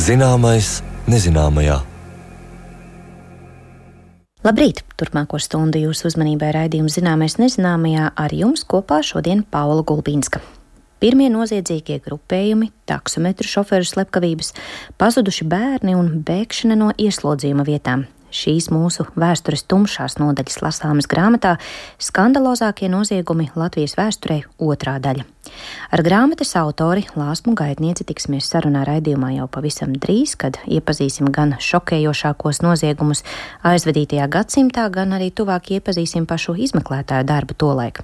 Zināmais nezināmajā. Labrīt! Turpmāko stundu jūsu uzmanībai raidījums Zināmais nezināmajā, ar jums kopā šodien Paula Gulbīnska. Pirmie noziedzīgie grupējumi, taksometru šoferu slepkavības, pazuduši bērni un bēgšana no ieslodzījuma vietām. Šīs mūsu vēstures tumšās nodaļas lasāmas grāmatā Skandalozākie noziegumi Latvijas vēsturē otrā daļa. Ar grāmatas autori, Lāsmu gaitnieci, tiksimies sarunā raidījumā jau pavisam drīz, kad iepazīsim gan šokējošākos noziegumus aizvadītajā gadsimtā, gan arī tuvāk iepazīsim pašu izmeklētāju darbu tolaik.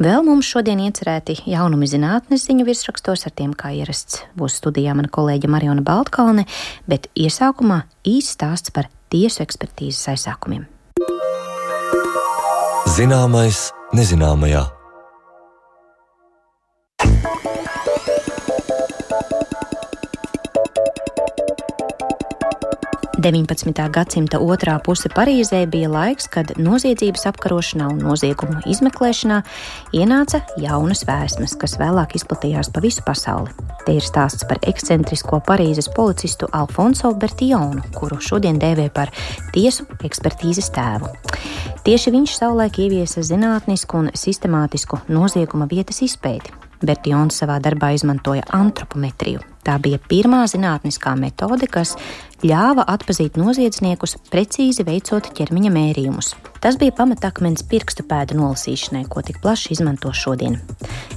Vēl mums šodien iecerēti jaunumi zinātnes ziņu virsrakstos, ar tiem kā ierasts būs studijā mana kolēģe Mariona Baltkalne, bet iesākumā īsts stāsts par tiesu ekspertīzes aizsākumiem. Zināmais nezināmajā. 19. gadsimta otrā puse Parīzē bija laiks, kad noziedzības apkarošanā un noziegumu izmeklēšanā ienāca jaunas vēsmas, kas vēlāk izplatījās pa visu pasauli. Te ir stāsts par ekscentrisko Parīzes policistu Alfonso Bertillonu, kuru šodien dēvē par tiesu ekspertīzes tēvu. Tieši viņš savulaik ieviesa zinātnisku un sistemātisku nozieguma vietas izpēti. Bertillons savā darbā izmantoja antropometriju. Tā bija pirmā zinātniskā metode, kas ļāva atpazīt noziedzniekus, precīzi veicot ķermeņa mērījumus. Tas bija pamatakmens pirkstu pēdu nolasīšanai, ko tik plaši izmanto šodien.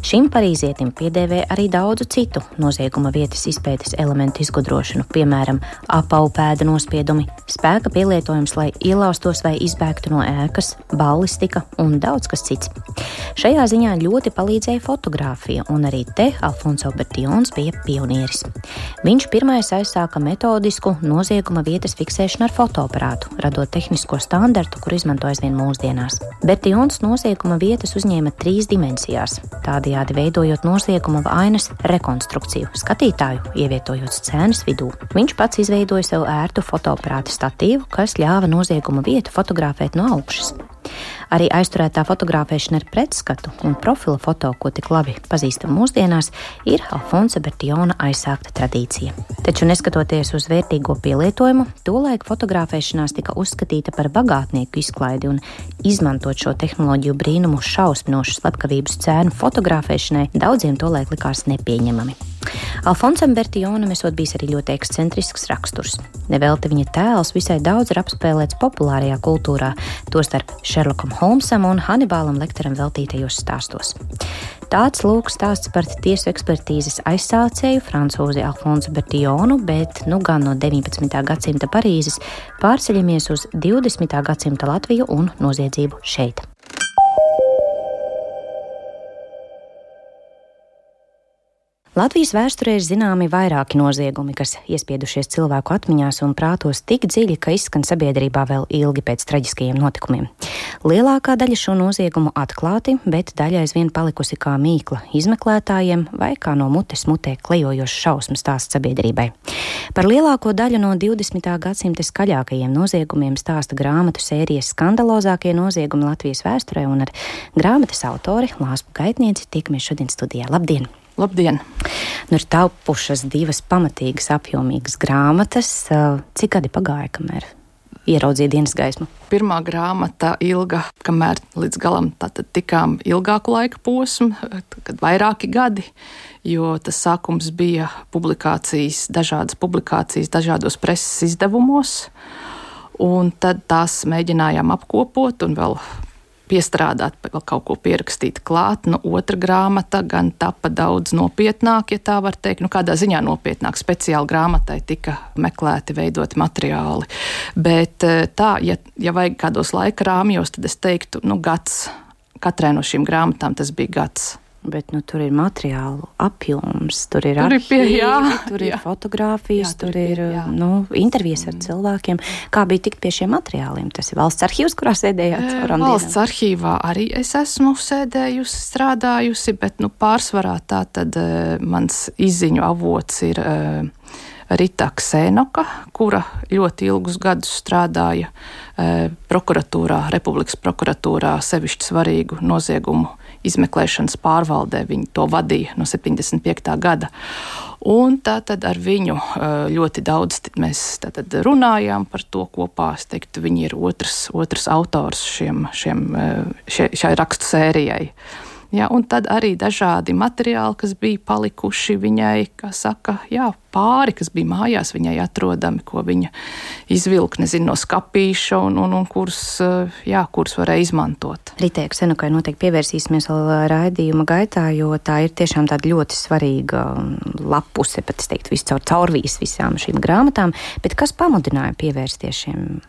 Šim parīzietim piedēvē arī daudzu citu nozieguma vietas izpētes elementu izgudrošanu, piemēram, apavu pēda nospiedumi, spēka pielietojums, lai ielaustos vai izbēgtu no ēkas, ballistika un daudz kas cits. Šajā ziņā ļoti palīdzēja fotogrāfija, un arī te Alfonso Bertillons bija pionieris. Viņš pirmais aizsāka metodisku nozieguma vietas fiksēšanu ar fotoaparātu, radot tehnisko standartu, kur izmanto aizvien mūsdienās. Bertillons nozieguma vietas uzņēma 3 dimensijās, tādējādi veidojot nozieguma ainas rekonstrukciju, skatītāju ievietojot scēnas vidū. Viņš pats izveidoja sev ērtu fotoaparāta statīvu, kas ļāva nozieguma vietu fotografēt no augšas. Arī aizturētā fotografēšana ar pretskatu un profila foto, ko tik labi pazīstam mūsdienās, ir Alfonsa Bertillona aizsākta tradīcija. Taču neskatoties uz vērtīgo pielietojumu, tolaik fotografēšanās tika uzskatīta par bagātnieku izklaidi, un izmantot šo tehnoloģiju brīnumu šausminošu slepkavību scēnu fotografēšanai daudziem tolaik likās nepieņemami. Alfonsam Bertillonam esot bijis arī ļoti ekscentrisks raksturs. Nevelti viņa tēls visai daudz ir apspēlēts populārajā kultūrā, tostarp Šerlokam Holmsam un Hannibālam Lekteram veltītajos stāstos. Tāds lūk stāsts par tiesu ekspertīzes aizsācēju francūzi Alfonsu Bertillonu, bet gan no 19. gadsimta Parīzes pārceļamies uz 20. gadsimta Latviju un noziedzību šeit. Latvijas vēsturē ir zināmi vairāki noziegumi, kas iespiedušies cilvēku atmiņās un prātos tik dziļi, ka izskan sabiedrībā vēl ilgi pēc traģiskajiem notikumiem. Lielākā daļa šo noziegumu atklāti, bet daļa aizvien palikusi kā mīkla izmeklētājiem vai kā no mutes mutē klejojošs šausmu stāsts sabiedrībai. Par lielāko daļu no 20. gadsimta skaļākajiem noziegumiem stāsta grāmatu sērijas Skandalozākie noziegumi Latvijas vēsturē, un ar grāmatas autori Lāsmu gaitnieci tiekamies šodien studijā. Labdien! Labdien! Ir tapušas 2 pamatīgas, apjomīgas grāmatas. Cik gadi pagāja, kamēr ieraudzīja dienas gaismu? Pirmā grāmata ilga, kamēr līdz galam tātad tikām ilgāku laika posmu, kad vairāki gadi, jo tas sākums bija dažādas publikācijas dažādos preses izdevumos, un tad tās mēģinājām apkopot un vēl piestrādāt, vēl kaut ko pierakstīt klāt. Otra grāmata gan tapa daudz nopietnāk, ja tā var teikt, kādā ziņā nopietnāk. Speciāli grāmatai tika meklēti, veidoti materiāli. Bet tā, ja vajag kādos laika rāmjos, tad es teiktu, gads. Katrai no šīm grāmatām tas bija gads. Bet tur ir materiālu apjoms, tur ir arhīvi, tur ir fotogrāfijas, tur ir intervijas ar cilvēkiem. Kā bija tikt pie šiem materiāliem? Tas ir valsts arhīvs, kurā sēdējāt? Valsts arhīvā arī es esmu sēdējusi, strādājusi, bet pārsvarā tā tad mans izziņu avots ir Rita Ksēnoka, kura ļoti ilgus gadus strādāja prokuratūrā, Republikas prokuratūrā, sevišķi svarīgu noziegumu izmeklēšanas pārvaldē. Viņa to vadīja no 75. gada. Un tātad ar viņu ļoti daudz mēs tātad runājām par to kopā. Es teiktu, viņi ir otrs autors šai rakstu sērijai. Jā, un tad arī dažādi materiāli, kas bija palikuši viņai, kā saka, pāri, kas bija mājās viņai atrodami, ko viņa izvilka, no skapīša un kurus varēja izmantot. Ritai Ksenukai noteikti pievērsīsimies vēl raidījuma gaitā, jo tā ir tiešām tāda ļoti svarīga lapuse, pat es teiktu, caurvīs visām šīm grāmatām, bet kas pamudināja pievērsties šiem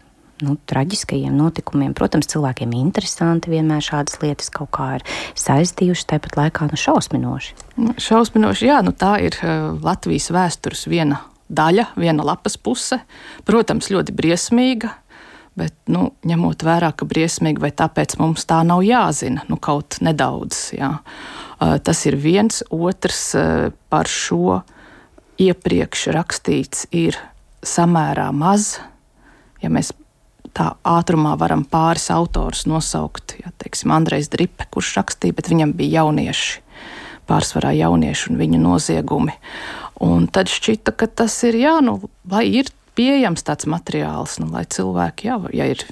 traģiskajiem notikumiem? Protams, cilvēkiem interesanti vienmēr šādas lietas kaut kā ir saistījušas, tāpat laikā šausminoši. Šausminoši, tā ir Latvijas vēstures viena daļa, viena lapas puse. Protams, ļoti briesmīga, bet ņemot vērā, ka briesmīga, vai tāpēc mums tā nav jāzina, kaut nedaudz. Jā. Tas ir viens, otrs par šo iepriekš rakstīts ir samērā maz. Ja mēs tā ātrumā varam pāris autorus nosaukt, teiksim, Andrejs Dripe, kurš rakstīja, bet viņam bija jaunieši, pārsvarā jaunieši un viņu noziegumi. Un tad šķita, ka tas ir, lai ir pieejams tāds materiāls, lai cilvēki, ja ir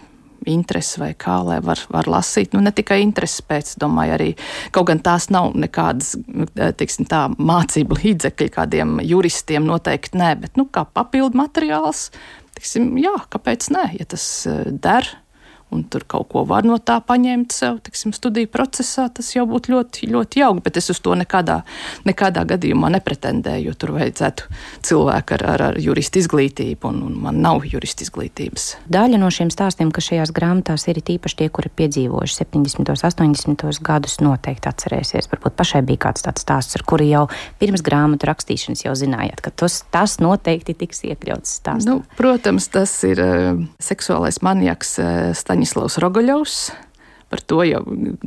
interesi vai kā, lai var lasīt, ne tikai intereses pēc, domāju, arī, kaut gan tās nav nekādas, teiksim tā, mācību līdzekļi kādiem juristiem noteikti nē, bet, kā papildu materiāls, kāpēc nē, ja tas der un tur kaut ko var no tā paņemt sev, studiju procesā, tas jau būtu ļoti, ļoti jauki, bet es uz to nekādā gadījumā nepretendēju, jo tur vajadzētu cilvēku ar juristu izglītību, un man nav juristu izglītības. Daļa no šiem stāstiem, kas šajās grāmatās ir īpaši tie, kuri piedzīvojuši 70. 80. gadus, noteikti atcerēsies. Varbūt pašai bija kāds tāds stāsts, ar kuri jau pirms grāmatu rakstīšanas jau zinājāt, ka tas noteikti tiks iekļauts stāstā. Protams, tas ir seksuālais maniaks Staņislavs Rogoļovs. Par to jau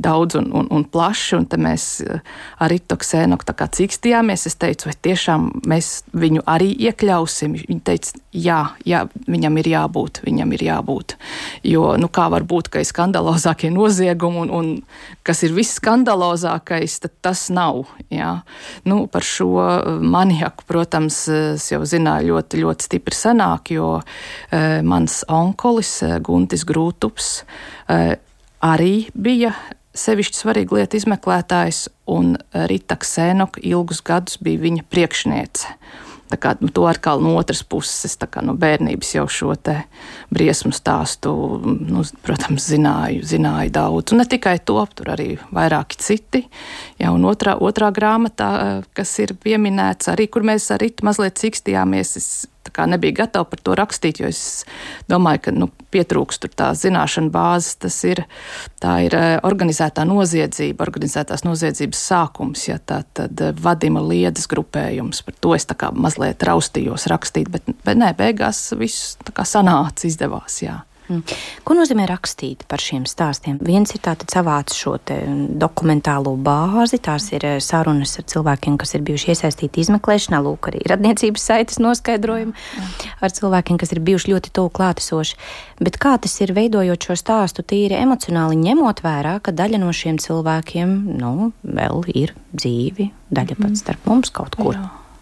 daudz un plaši, un te mēs ar Ritu Ksenoku tā kā cīkstījāmies. Es teicu, vai tiešām mēs viņu arī iekļausim. Viņa teica, jā, viņam ir jābūt. Jo, kā var būt, ka ir skandalozākie noziegumi, un kas ir viss skandalozākais, tad tas nav. Jā. Par šo maniaku, protams, es jau zināju ļoti, ļoti stipri senāk, jo mans onkolis Guntis Grūtups arī bija sevišķi svarīga lieta izmeklētājs, un Rita Ksenoka ilgus gadus bija viņa priekšniece. Tā kā, to atkal no otras puses, tā kā no bērnības jau šo te briesmu stāstu, protams, zināju daudz. Un ne tikai to, tur arī vairāki citi. Ja, un otrā grāmatā, kas ir pieminēts, arī kur mēs ar Ritu mazliet cīkstījāmies, es tā kā nebija gatava par to rakstīt, jo es domāju, ka pietrūkst tur tā zināšana bāzes. Tā ir organizētā noziedzība, organizētās noziedzības sākums, tad Vadima Liedes grupējums. Par to es tā kā mazliet raustījos rakstīt, bet nē, beigās viss tā kā sanāca, izdevās, jā. Ko nozīmē rakstīt par šiem stāstiem? Viens ir tātad savāc šo te dokumentālo bāzi, tās ir sarunas ar cilvēkiem, kas ir bijuši iesaistīti izmeklēšanā, lūk, arī radniecības saites noskaidrojumi ar cilvēkiem, kas ir bijuši ļoti tuvu klātesoši. Bet kā tas ir veidojot šo stāstu tīri emocionāli, ņemot vērā, ka daļa no šiem cilvēkiem, vēl ir dzīvi, daļa pat starp mums kaut kur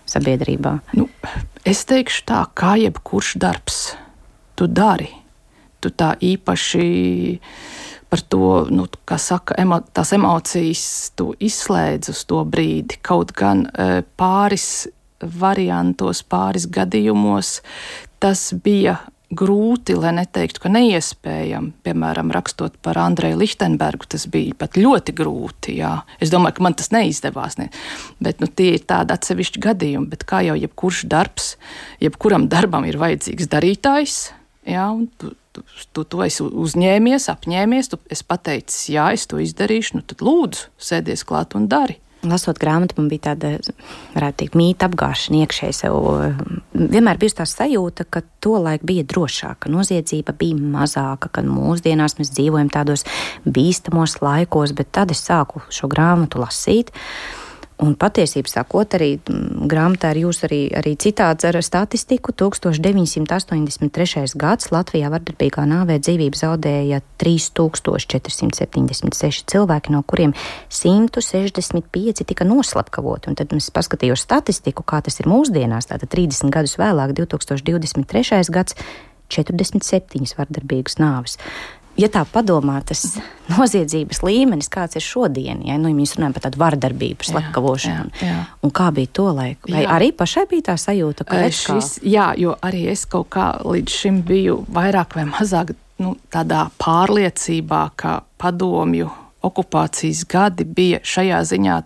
sabiedrībā? Es teikšu tā, kā jebkurš darbs tu dari. Tu tā īpaši par to, kā saka, tās emocijas tu izslēdz uz to brīdi. Kaut gan pāris variantos, pāris gadījumos tas bija grūti, lai neteiktu, ka neiespējami. Piemēram, rakstot par Andreju Lichtenbergu, tas bija pat ļoti grūti. Jā. Es domāju, ka man tas neizdevās. Bet tie ir tādi atsevišķi gadījumi. Bet kā jau jebkurš darbs, jebkuram darbam ir vajadzīgs darītājs. Jā, un tu to esi uzņēmies, apņēmies, es pateicis, jā, es to izdarīšu, tad lūdzu, sēdies klāt un dari. Lasot grāmatu, man bija tāda, varētu teikt, mīta apgāšana iekšēji sev. Vienmēr bija tā sajūta, ka tolaik bija drošāka, noziedzība bija mazāka, kad mūsdienās mēs dzīvojam tādos bīstamos laikos, bet tad es sāku šo grāmatu lasīt. Un patiesībā sakot, arī grāmatā ar jūs arī citāts ar statistiku. 1983. gads Latvijā vardarbīgā nāvē dzīvību zaudēja 3476 cilvēki, no kuriem 165 tika noslapkavoti. Un tad es paskatījos statistiku, kā tas ir mūsdienās, tātad 30 gadus vēlāk, 2023. gads, 47 vardarbīgas nāves. Ja tā padomā, tas noziedzības līmenis, kāds ir šodien, ja mēs runājam par tādu vardarbību, slepkavošanu, un kā bija to laiku? Vai arī pašai bija tā sajūta, ka Jā, jo arī es kaut kā līdz šim biju vairāk vai mazāk tādā pārliecībā, ka padomju okupācijas gadi bija šajā ziņā,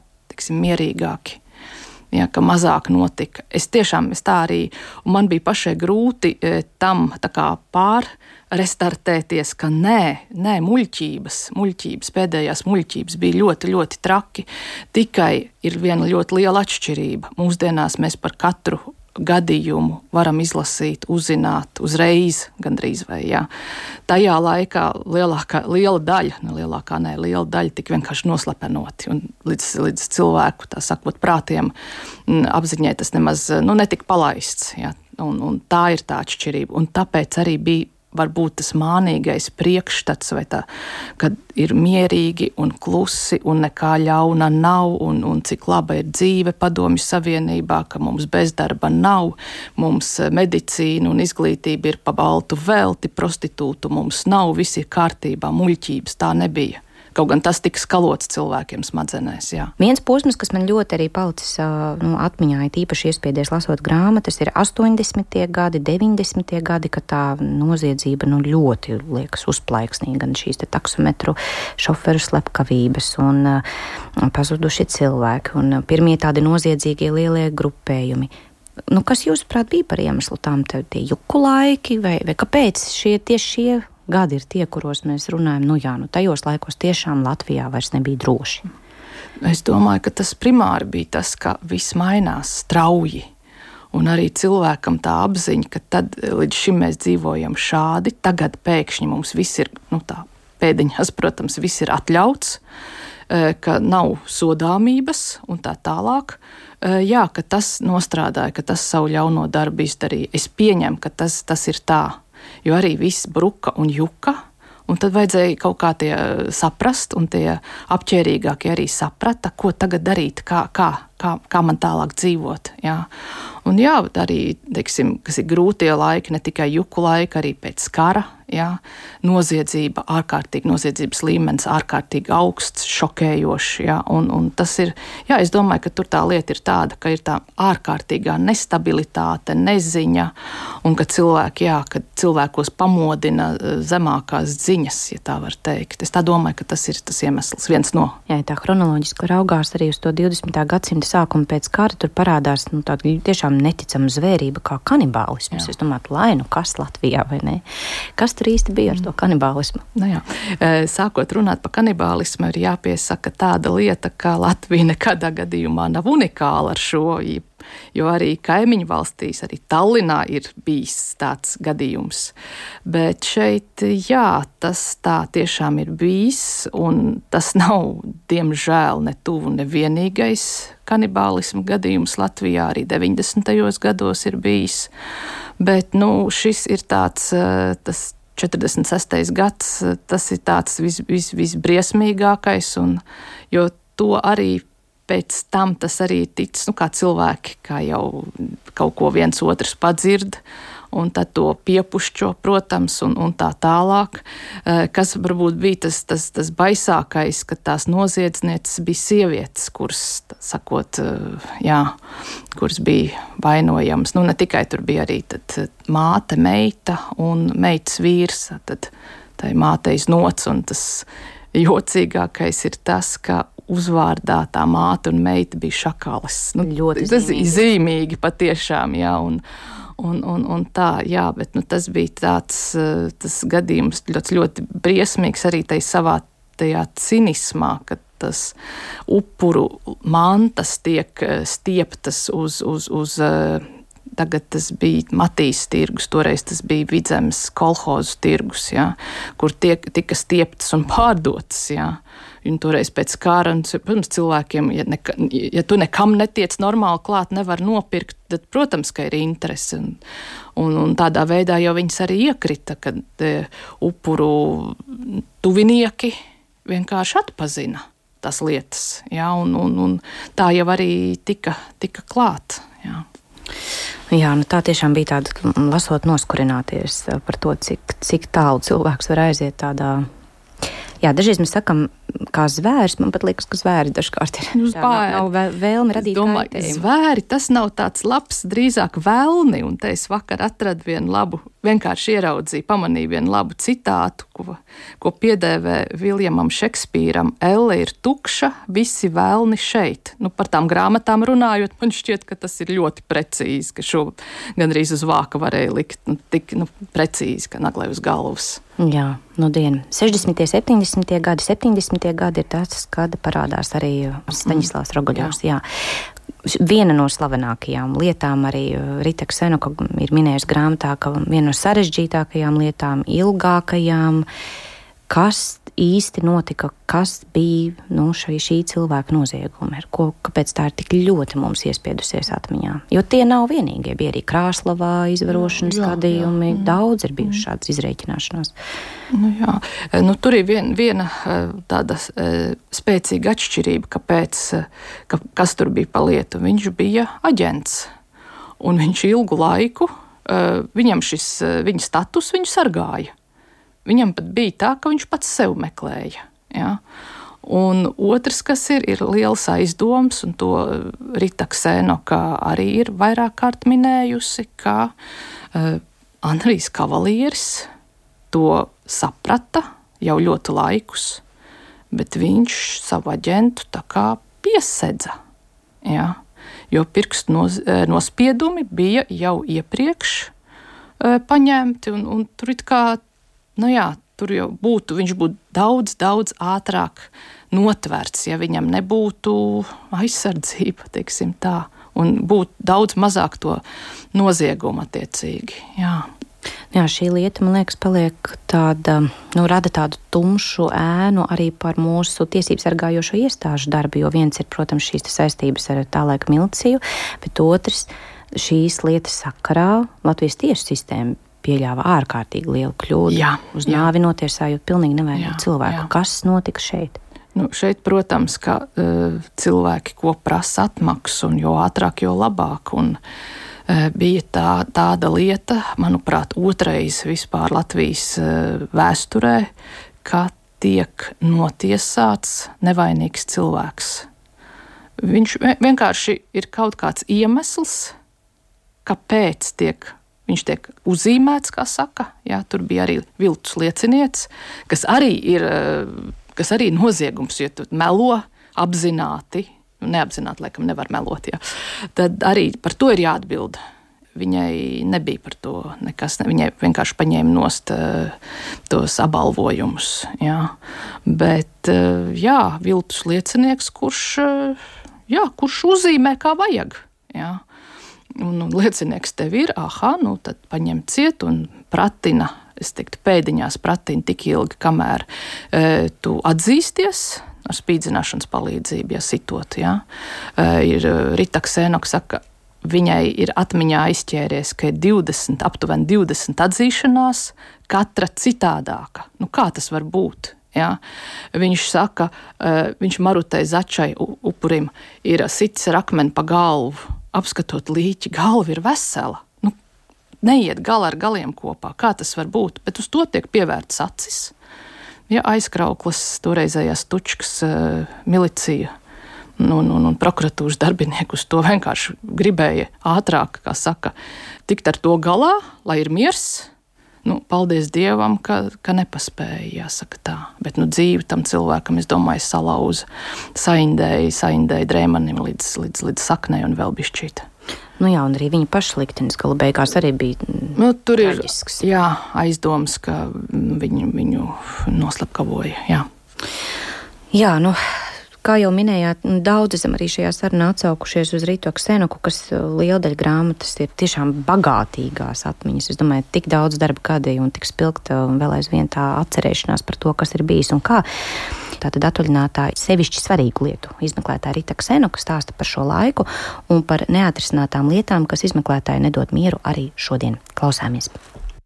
mierīgāki. Ja, ka mazāk notika. Es tā arī, un man bija pašai grūti tam tā kā pārrestartēties, ka nē, muļķības, pēdējās muļķības bija ļoti, ļoti traki. Tikai ir viena ļoti liela atšķirība. Mūsdienās mēs par katru gadījumu varam izlasīt, uzzināt uzreiz, gandrīz vai jā. Tajā laikā liela daļa tik vienkārši noslepenoti, un līdz cilvēku, tā sakot, prātiem apziņai tas nemaz netika palaists, jā. Un tā ir tā atšķirība, un tāpēc arī bija varbūt tas mānīgais priekšstats, vai tā, kad ir mierīgi un klusi un nekā ļauna nav, un cik laba ir dzīve Padomju Savienībā, ka mums bezdarba nav, mums medicīna un izglītība ir pa baltu velti, prostitūtu mums nav, visi ir kārtībā, muļķības tā nebija. Kaut gan tas tika skalots cilvēkiem smadzenēs, jā. Viens posms, kas man ļoti arī palicis atmiņā, ir īpaši iespiedies lasot grāmatas, ir 80. gadi, 90. gadi, kad tā noziedzība ļoti liekas uzplaiksnīga, gan šīs te taksometru šoferu slepkavības un pazudušie cilvēki un pirmie tādi noziedzīgie lielie grupējumi. Kas jūsuprāt bija par iemeslu tam, tie juku laiki, vai kāpēc tieši šie gadi ir tie, kuros mēs runājam, tajos laikos tiešām Latvijā vairs nebija droši? Es domāju, ka tas primāri bija tas, ka viss mainās strauji. Un arī cilvēkam tā apziņa, ka tad līdz šim mēs dzīvojam šādi, tagad pēkšņi mums viss ir, tā pēdiņās, protams, viss ir atļauts, ka nav sodāmības un tā tālāk. Jā, ka tas nostrādāja, ka tas savu ļauno darbu izdarīja. Es pieņemu, ka tas ir tā. Jo arī viss bruka un juka, un tad vajadzēja kaut kā tie saprast, un tie apķērīgākie arī saprata, ko tagad darīt, kā man tālāk dzīvot. Jā. Un jā, arī, kas ir grūtie laiki, ne tikai juku laika, arī pēc kara, jā, noziedzības līmenis ārkārtīgi augsts, šokējošs, jā, un tas ir, jā, es domāju, ka tur tā lieta ir tāda, ka ir tā ārkārtīgā nestabilitāte, neziņa, un ka kad cilvēkos pamodina zemākās ziņas, ja tā var teikt. Es tā domāju, ka tas ir tas iemesls, viens no. Jā, tā chronoloģiski raugās arī uz to 20. gadsimta sākumu pēc kara, tur parādās tāda tiešām neticama zvērība kā kanibālisms. Es domāju, kas Latvijā vai ne? Kas tur īsti bija ar to kanibālismu? Sākot runāt par kanibālismu, ir jāpiesaka tāda lieta, ka Latvija nekadā gadījumā nav unikāla ar šo, jo arī kaimiņu valstīs, arī Tallinā ir bijis tāds gadījums. Bet šeit, jā, tas tā tiešām ir bijis, un tas nav, diemžēl, ne tuvu nevienīgais kanibālismu gadījums Latvijā, arī 90. gados ir bijis. Bet, šis ir tāds, tas 46. gads, tas ir tāds visbriesmīgākais, jo to arī pēc tam tas arī tic, kā cilvēki, kā jau kaut ko viens otrs padzird, un tad to piepušķo, protams, un tā tālāk. Kas varbūt bija tas baisākais, ka tās noziedznieces bija sievietes, kuras, sakot, kuras bija vainojams. Ne tikai tur bija arī tad māte, meita un meitas vīrs, tad tai mātei znots, un tas jocīgākais ir tas, ka uzvārdā tā māte un meita bija šakales. Ļoti tas zīmīgi patiešām, jā, un tā, jā, bet tas bija tas gadījums ļoti briesmīgs arī tai savā tajā cinismā, kad tas upuru mantas tiek stieptas uz tagad tas bija Matīs tirgus, toreiz tas bija Vidzemes kolhozu tirgus, jā, kur tika stieptas un pārdotas, jā. Viņi toreiz pēc kara, un, protams, cilvēkiem, ja tu nekam netiec normāli klāt, nevar nopirkt, tad, protams, ka ir interese. Un tādā veidā jau viņas arī iekrita, kad upuru tuvinieki vienkārši atpazina tās lietas. Ja, un tā jau arī tika klāt. Ja. Jā, nu tā tiešām bija tāda, lasot, noskurināties par to, cik tālu cilvēks var aiziet tādā. Jā, dažreiz mēs sakam, kā zvērs, man pat liekas, ka zvēri dažkārt ir. Nav vēlme radīt kaitējumu. Zvēri, tas nav tāds labs, drīzāk velni, un te es vakar atradu vienu labu, vienkārši ieraudzīju, pamanīju vienu labu citātu, ko piedēvē Viljamam Šekspīram. Elle ir tukša, visi velni šeit. Nu, par tām grāmatām runājot, man šķiet, ka tas ir ļoti precīzi, ka šo gandrīz uz vāka varēja likt tik precīzi, ka naglai uz galvas. Jā, nu diena. 60. 70. gadi, 70. gadi ir tāds, kad parādās arī Staņislavs Rogoļovs. Jā. Viena no slavenākajām lietām arī Rita Ksenoka ir minējusi grāmatā, ka viena no sarežģītākajām lietām, ilgākajām, kas īsti notika, kas bija šī cilvēka noziegumi, kāpēc tā ir tik ļoti mums iespiedusies atmiņā. Jo tie nav vienīgie, bija arī Krāslavā izvarošanas gadījumi, daudz ir bijuši šādas izreikināšanās. Tur ir viena tāda spēcīga atšķirība, kas tur bija pa lietu. Viņš bija aģents, un viņš ilgu laiku, viņam viņa status viņu sargāja. Viņam pat bija tā, ka viņš pats sev meklēja. Ja? Un otrs, kas ir liels aizdoms, un to Rita Ksenoka arī ir vairāk kārt minējusi, ka Andrijs Kavalieris to saprata jau ļoti laikus, bet viņš savu aģentu tā kā piesedza. Ja? Jo pirkstu nospiedumi bija jau iepriekš paņemti, un tur it kā tur jau viņš būtu daudz, daudz ātrāk notverts, ja viņam nebūtu aizsardzība, teiksim tā, un būtu daudz mazāk to noziegumu attiecīgi. Jā, šī lieta, man liekas, paliek tāda, rada tādu tumšu ēnu arī par mūsu tiesību sargājošo iestāžu darbu, jo viens ir, protams, šīs saistības ar tā laika miliciju, bet otrs, šīs lietas sakarā Latvijas tiesu sistēma pieļāva ārkārtīgi lielu kļūdu uz nāvi notiesājot pilnīgi nevainīgu cilvēku. Kas notika šeit? Šeit, protams, ka cilvēki, ko prasa atmaksu, un jo ātrāk, jo labāk. Un bija tāda lieta, manuprāt, otrais vispār Latvijas vēsturē, ka tiek notiesāts nevainīgs cilvēks. Viņš vienkārši ir kaut kāds iemesls, kāpēc viņš tiek uzīmēts, kā saka. Jā, tur bija arī viltus liecinietis, kas arī ir noziegums, jo tu melo apzināti, neapzināti, laikam nevar melot, jā. Tad arī par to ir jāatbild. Viņai nebija par to nekas, viņai vienkārši paņēma nost tos apbalvojumus. Jā. Bet, viltus liecinieks, kurš uzīmē kā vajag, jā. Un liecinieks tev ir, tad paņem ciet un pratina, es teiktu, pēdiņās pratina tik ilgi, kamēr tu atzīsties ar spīdzināšanas palīdzību, ja sitot. Ja? Ir Rita Ksenoka saka, viņai ir atmiņā aizķēries, ka ir aptuveni 20 atzīšanās, katra citādāka. Kā tas var būt? Ja? Viņš saka, viņš Marutai Začai upurim ir sitis ar akmeni pa galvu, apskatot līķi, galva ir vesela. Neiet gala ar galiem kopā. Kā tas var būt? Bet uz to tiek pievērts acis. Ja aizkrauklas, toreizējās Tučkas milicija un prokuratūras darbiniekus to vienkārši gribēja ātrāk, kā saka, tikt ar to galā, lai ir miers. Paldies Dievam, ka nepaspēja, jāsaka tā. Bet dzīvi tam cilvēkam, es domāju, salauza, saindēja drēmanim līdz saknei un vēl bišķīt. Un arī viņa paša liktenis gala beigās arī bija tur traģisks. Ir aizdoms, ka viņu noslepkavoja. Jā, kā jau minējāt, daudz esam arī šajā sarunā atsaukušies uz Ritu Aksenuku, kas liela daļa grāmatas ir tiešām bagātīgās atmiņas. Es domāju, tik daudz darba gadi un tik spilgta un vēl aizvien tā atcerēšanās par to, kas ir bijis un kā. Tātad atvaļinātāji sevišķi svarīgu lietu izmeklētāja Rita Aksenuka stāsta par šo laiku un par neatrisinātām lietām, kas izmeklētāji nedod mieru arī šodien. Klausāmies!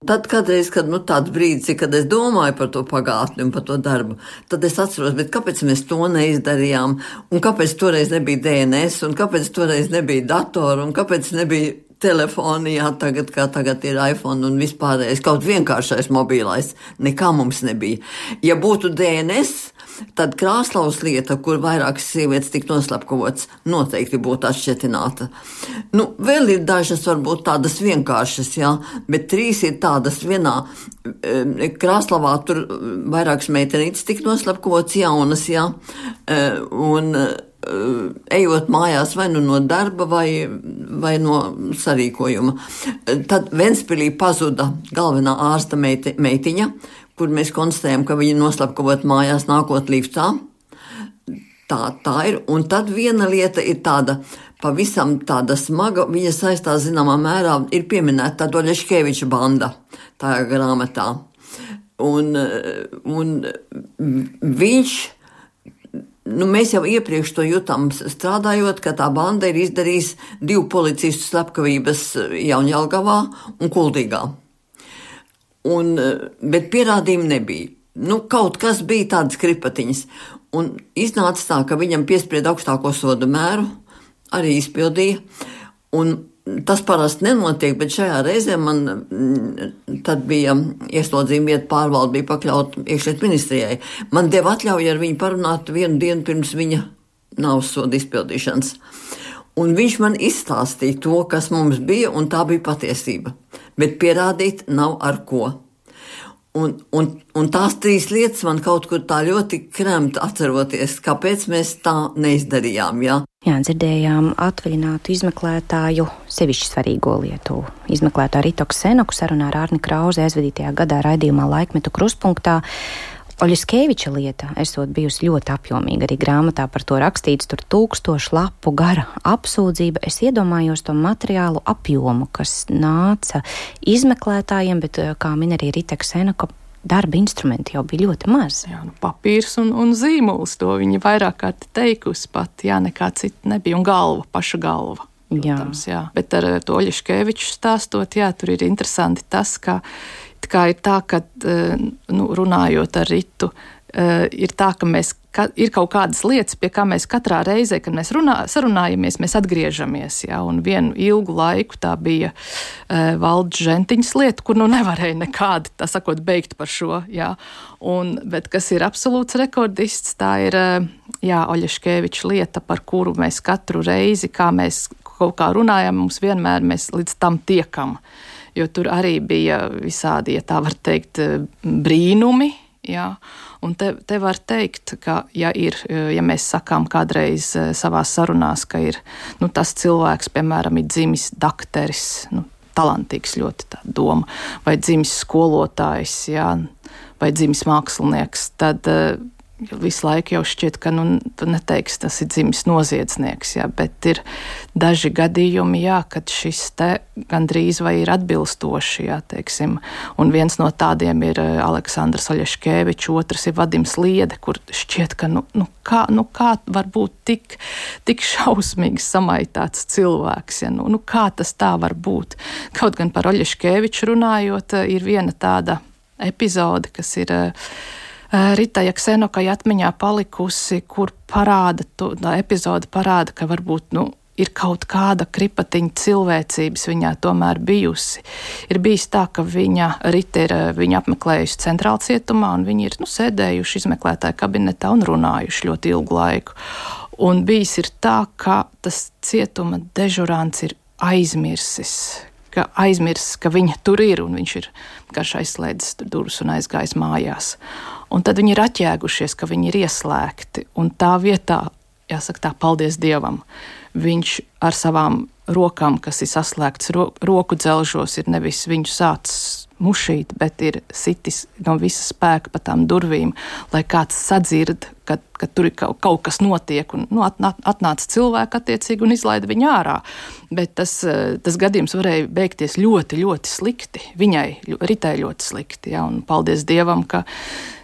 Tad kādreiz, kad tāds brīdis, kad es domāju par to pagātni un par to darbu, tad es atceros, bet kāpēc mēs to neizdarījām, un kāpēc toreiz nebija DNS, un kāpēc toreiz nebija datoru, un kāpēc nebija telefoni, jā, tagad ir iPhone un vispārējais, kaut vienkāršais mobilais, nekā mums nebija. Ja būtu DNS, tad Krāslavas lieta, kur vairākas sievietes tika noslapkavots, noteikti būtu atšķetināta. Vēl ir dažas varbūt tādas vienkāršas, jā, bet 3 ir tādas vienā. Krāslavā tur vairākas meitenītes tika noslapkavots jaunas, jā, un ejot mājās vai no darba vai no sarīkojuma. Tad Ventspilī pazuda galvenā ārsta meitiņa, kur mēs konstatējam, ka viņa noslapkavot mājās nākot liftā. Tā ir. Un tad viena lieta ir tāda, pavisam tāda smaga, viņa saistās zināmā mērā ir pieminēta tāda Oļeškeviča banda tajā grāmatā. Un viņš, mēs jau iepriekš to jutām strādājot, ka tā banda ir izdarījis 2 policistu slepkavības Jaunjelgavā un Kuldīgā. Bet pierādījumi nebija. Kaut kas bija tādas kripatiņas. Un iznāca tā, ka viņam piesprieda augstāko soda mēru, arī izpildīja. Un tas parasti nenotiek, bet šajā reizē man tad bija ieslodzījuma vieta pārvalde, bija pakļauta iekšlietu ministrijai. Man deva atļauju ar viņu parunāt 1 dienu pirms viņa nāves soda izpildīšanas. Un viņš man izstāstīja to, kas mums bija, un tā bija patiesība. Bet pierādīt nav ar ko. Un tās 3 lietas man kaut kur tā ļoti kremt atceroties, kāpēc mēs tā neizdarījām, jā. Jā, dzirdējām atvaļinātu izmeklētāju sevišķi svarīgo lietu. Izmeklētāju Ritu Aksenuku sarunā ar Arni Krauzi aizvadītajā gadā raidījumā Laikmetu kruspunktā. Oļeškeviča lieta esot bijusi ļoti apjomīga, arī grāmatā par to rakstīts, tur 1000 lapu gara apsūdzība. Es iedomājos to materiālu apjomu, kas nāca izmeklētājiem, bet, kā min arī Rita Aksenuka, darba instrumenti jau bija ļoti maz. Jā, papīrs un zīmuls, to viņa vairāk kārt teikusi pat, jā, nekā cita nebija, un galva, paša galva. Protams, jā. Bet ar to Oļeškeviču stāstot, jā, tur ir interesanti tas, ka ir tā, ka runājot ar Ritu, ir tā, ka ir kaut kādas lietas, pie kā mēs katrā reizē, kad mēs sarunājamies, mēs atgriežamies. Ja? Un vienu ilgu laiku tā bija Valdes Žentiņas lieta, kur nevarēja nekādi, tā sakot, beigt par šo. Ja? Bet kas ir absolūts rekordists, tā ir Oļeškeviča lieta, par kuru mēs katru reizi, kā mēs kaut kā runājam, mums vienmēr mēs līdz tam tiekam. Jo tur arī bija visādi, ja tā var teikt, brīnumi. Jā. Un te var teikt, ka ja mēs sakām kādreiz savās sarunās, ka ir tas cilvēks, piemēram, ir dzimis dakteris, talantīgs ļoti tā doma, vai dzimis skolotājs, jā, vai dzimis mākslinieks, tad visu laiku jau šķiet, ka neteiks, tas ir dzimis noziedznieks, jā, bet ir daži gadījumi, jā, kad šis te gandrīz vai ir atbilstoši, jā, teiksim, un viens no tādiem ir Aleksandrs Oļeškevičs, otrs ir Vadims Liede, kur šķiet, ka kā var būt tik šausmīgi samaitāts cilvēks, ja, kā tas tā var būt. Kaut gan par Oļeškeviču runājot, ir viena tāda epizode, kas ir Ritai Aksenukai atmiņā palikusi, kur epizode parāda, ka varbūt ir kaut kāda kripatiņa cilvēcības viņā tomēr bijusi. Ir bijis tā, ka Rita ir viņu apmeklējusi centrāla cietumā, un viņi ir sēdējuši izmeklētāju kabinetā un runājuši ļoti ilgu laiku. Un bijis ir tā, ka tas cietuma dežurants ir aizmirsis, ka viņa tur ir, un viņš ir garš aizslēdzis durvis un aizgājis mājās. Un tad viņi ir atjēgušies, ka viņi ir ieslēgti, un tā vietā, jāsaka tā, paldies Dievam, viņš ar savām rokām, kas ir saslēgts roku dzelžos, ir nevis viņu sācis mušīt, bet ir sitis no visa spēka pa tām durvīm, lai kāds sadzird, ka tur ir kaut kas notiek, un atnāca cilvēki attiecīgi un izlaida viņu ārā. Bet tas gadījums varēja beigties ļoti, ļoti slikti. Viņai Ritai ļoti slikti, ja, un paldies Dievam, ka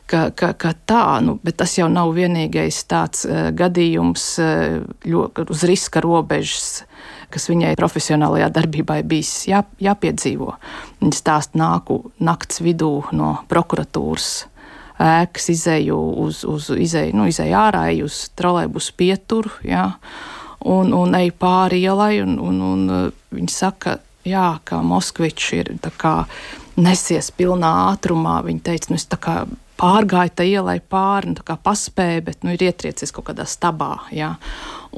tā, bet tas jau nav vienīgais tāds gadījums uz riska robežas, kas viņai profesionālajā darbībā bijis jāpiedzīvo. Viņa stāst nāku nakts vidū no prokuratūras ēkas, izēju ārā, eju uz trolejbusu pieturu, ja, un eju pāri ielai, un viņa saka, jā, ka Moskvičs ir tā kā nesies pilnā ātrumā. Viņa teica, es tā kā pārgāju tā ielai pāri, tā kā paspēju, bet ir ietriecies kaut kādā stabā, jā.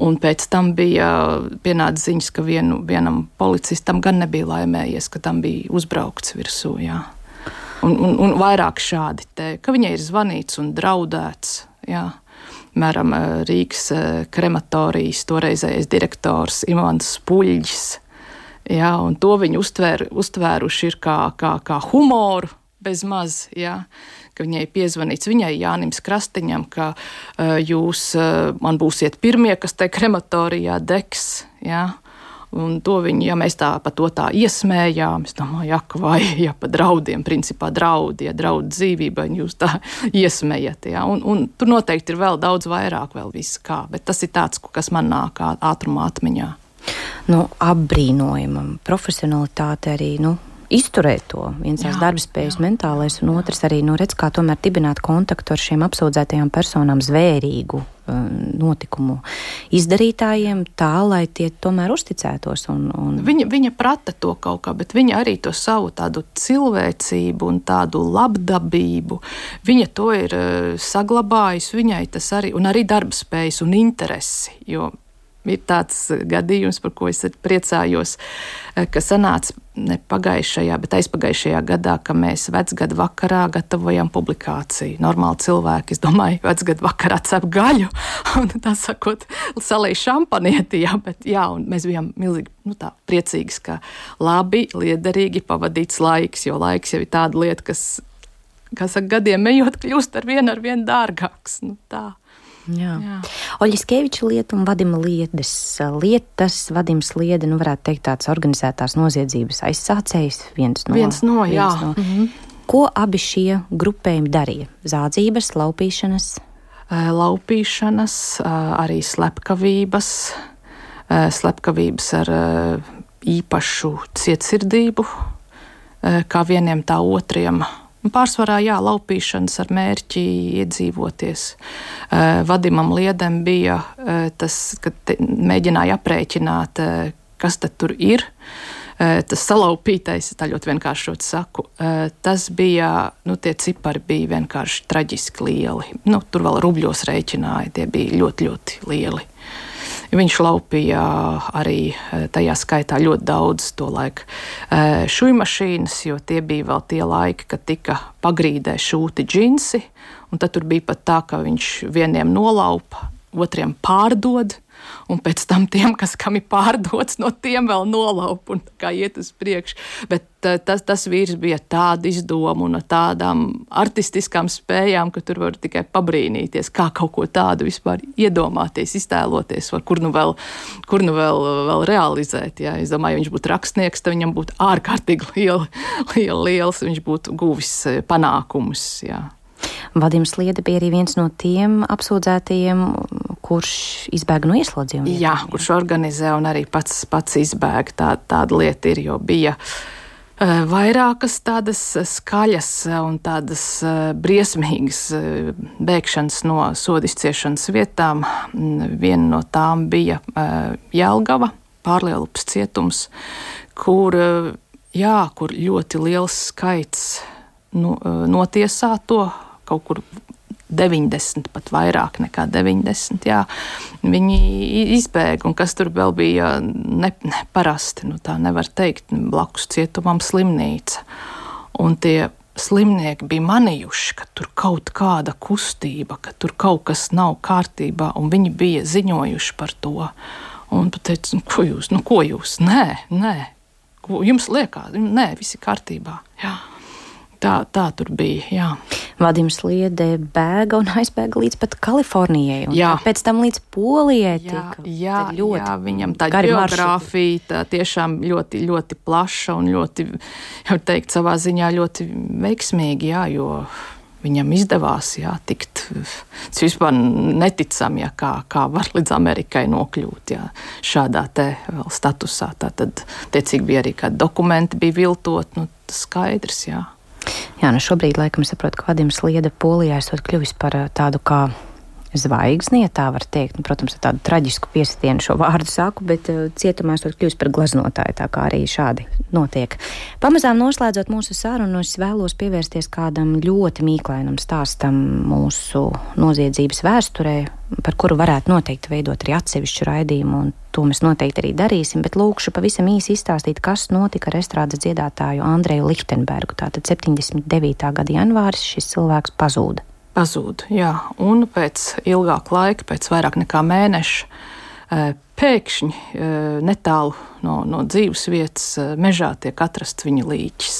Un pēc tam bija pienāca ziņas, ka vienam policistam gan nebija laimējies, ka tam bija uzbraukts virsū, jā. Un vairāk šādi te, ka viņai ir zvanīts un draudēts, jā. Mēram Rīgas krematorijas toreizējais direktors Imants Puļģis, jā, un to viņi uztvēruši ir kā humoru bez maz, jā. Ka viņai piezvanīts viņai Jānim Krastiņam, ka jūs man būsiet pirmie, kas te krematorijā degs, jā. Un to viņi, ja mēs tā iesmējām, es domāju, ja pa draudiem, principā draudi, ja draud dzīvībai, jūs tā iesmējat, jā. Un tur noteikti ir vēl daudz vairāk vēl viss kā, bet tas ir tāds, kas man nāk ātrumā atmiņā. Apbrīnojama profesionalitāte arī, izturēt to. Viens tās darbspējas mentālais, un otrs arī, redz, kā tomēr dibināt kontaktu ar šiem apsūdzētajām personām zvērīgu notikumu izdarītājiem tā, lai tie tomēr uzticētos. Viņa prata to kaut kā, bet viņa arī to savu tādu cilvēcību un tādu labdabību, viņa to ir saglabājusi, viņai tas arī, un arī darbspējas un interesi, jo ir tāds gadījums, par ko es priecājos, ka sanāca ne pagājušajā, bet aizpagājušajā gadā, ka mēs vecgada vakarā gatavojam publikāciju. Normāli cilvēki, es domāju, vecgada vakarā cep gaļu un tā sakot, salēj šampanieti, un mēs bijām milzīgi, priecīgas, ka labi, liederīgi pavadīts laiks, jo laiks jau ir tāda lieta, kas gadiem ejot, kļūst ar vien dārgāks, tā. Jā. Oļiškeviča lieta un Vadima Liedes lietas. Vadims Liede, varētu teikt, tāds organizētās noziedzības aizsācējs. Viens no. Ko abi šie grupējumi darīja? Zādzības, laupīšanas, arī slepkavības ar īpašu cietsirdību, kā vieniem tā otriem. Pārsvarā, laupīšanas ar mērķi iedzīvoties. Vadimam Liedem bija tas, kad mēģināja aprēķināt, kas tad tur ir. Tas salaupītais, tā ļoti vienkāršot saku, tas bija, tie cipari bija vienkārši traģiski lieli. Tur vēl rubļos rēķināja, tie bija ļoti, ļoti lieli. Viņš laupīja arī tajā skaitā ļoti daudz to laiku šujmašīnas, jo tie bija vēl tie laiki, kad tika pagrīdē šūti džinsi, un tad tur bija pat tā, ka viņš vieniem nolaupa, otriem pārdod, un pēc tam tiem, kam ir pārdots, no tiem vēl nolaupa un kā iet uz priekšu. Bet tas vīrs bija tāda izdoma un tādām artistiskām spējām, ka tur var tikai pabrīnīties, kā kaut ko tādu vispār iedomāties, iztēloties, vai kur nu vēl realizēt. Jā. Es domāju, ja viņš būtu rakstnieks, tad viņam būtu ārkārtīgi liels, viņš būtu guvis panākumus, jā. Vadims Liede bija arī viens no tiem apsūdzētajiem, kurš izbēga no ieslodzījuma. Jā, kurš organizē un arī pats izbēga. Tāda lieta ir, jo bija vairākas tādas skaļas un tādas briesmīgas bēgšanas no sodizciešanas vietām. Viena no tām bija Jelgava, Pārlielupas cietums, kur ļoti liels skaits notiesāto, kaut kur 90, pat vairāk nekā 90, jā. Viņi izbēga, un kas tur vēl bija neparasti, tā nevar teikt, blakus cietumam slimnīca. Un tie slimnieki bija manījuši, ka tur kaut kāda kustība, ka tur kaut kas nav kārtībā, un viņi bija ziņojuši par to. Un tu teici, ko jūs? Nē. Jums liekas, nē, viss ir kārtībā, jā. Tā tur bija, jā. Vadims Liede bēga un aizbēga līdz pat Kalifornijai, un pēc tam līdz Polijai tika. Jā, viņam tā geogrāfija tā tiešām ļoti, ļoti plaša un ļoti, jau teikt, savā ziņā ļoti veiksmīgi, jā, jo viņam izdevās, jā, tikt, tas vispār neticam, jā, kā var līdz Amerikai nokļūt, jā, šādā te vēl statusā. Tātad, tiecīgi bija arī kādi dokumenti bija viltot, nu, tas skaidrs, jā. Jā, nu šobrīd, laikam, saprotu, ka Vadims Liede Polijā esot kļuvis par tādu kā zvaigzni, ja tā var teikt. Nu, protams, ar tādu traģisku piesitienu šo vārdu saku, bet cietumā esot kļuvis par gleznotāju, tā kā arī šādi notiek. Pamazām noslēdzot mūsu sarunu, es vēlos pievērsties kādam ļoti mīklainam stāstam mūsu noziedzības vēsturē, par kuru varētu noteikti veidot arī atsevišķu raidījumu, un to mēs noteikti arī darīsim, bet lūkšu pavisam īsi izstāstīt, kas notika ar estrādes dziedātāju Andreju Lichtenbergu. Tātad 79. gada janvāris šis cilvēks pazūda. Jā, un pēc ilgāka laika, pēc vairāk nekā mēneša, pēkšņi netālu no dzīves vietas mežā tiek atrasts viņa līķis,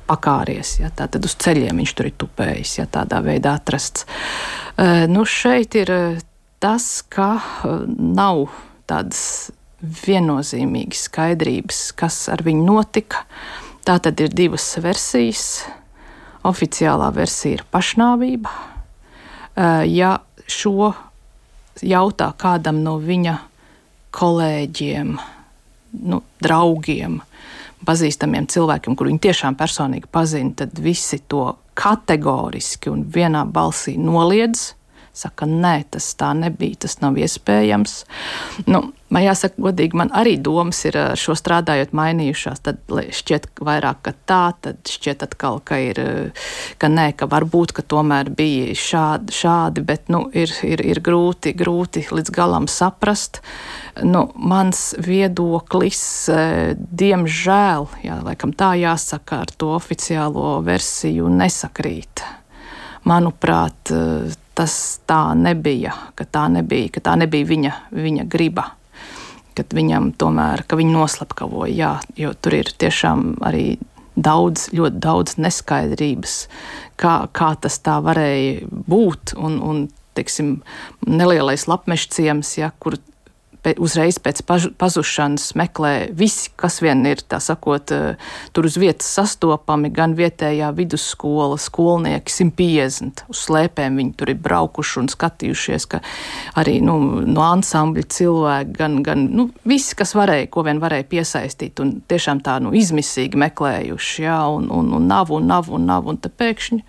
pakāries, ja, tātad uz ceļiem viņš tur ir tupējis, ja, tādā veidā atrasts. Nu, šeit ir tas, ka nav tādas viennozīmīgas skaidrības, kas ar viņu notika. Tātad ir divas versijas. Oficiālā versija ir pašnāvība. Ja šo jautā kādam no viņa kolēģiem, draugiem, pazīstamiem cilvēkiem, kur viņi tiešām personīgi pazina, tad visi to kategoriski un vienā balsī noliedz. Saka, nē, tas tā nebija, tas nav iespējams. Man jāsaka, godīgi, man arī domas ir šo strādājot mainījušās. Tad šķiet vairāk, ka tā, tad šķiet atkal, ka nē, ka varbūt, ka tomēr bija šādi, bet ir grūti līdz galam saprast. Mans viedoklis, diemžēl, jā, laikam tā jāsaka, ar to oficiālo versiju nesakrīt. Manuprāt, tas tā nebija, ka tā nebija viņa griba, kad viņam tomēr, ka viņu noslapkavoja, jā, jo tur ir tiešām arī ļoti daudz neskaidrības, kā tas tā varēja būt, un teiksim, nelielais Lapmeža ciems, ja, kur uzreiz pēc pazušanas meklē visi, kas vien ir, tā sakot, tur uz vietas sastopami, gan vietējā vidusskola, skolnieki 150, uz slēpēm viņi tur ir braukuši un skatījušies, ka arī no ansambļa cilvēki, gan visi, kas varēja, ko vien varēja piesaistīt, un tiešām tā izmisīgi meklējuši, jā, un nav, un te pēkšņi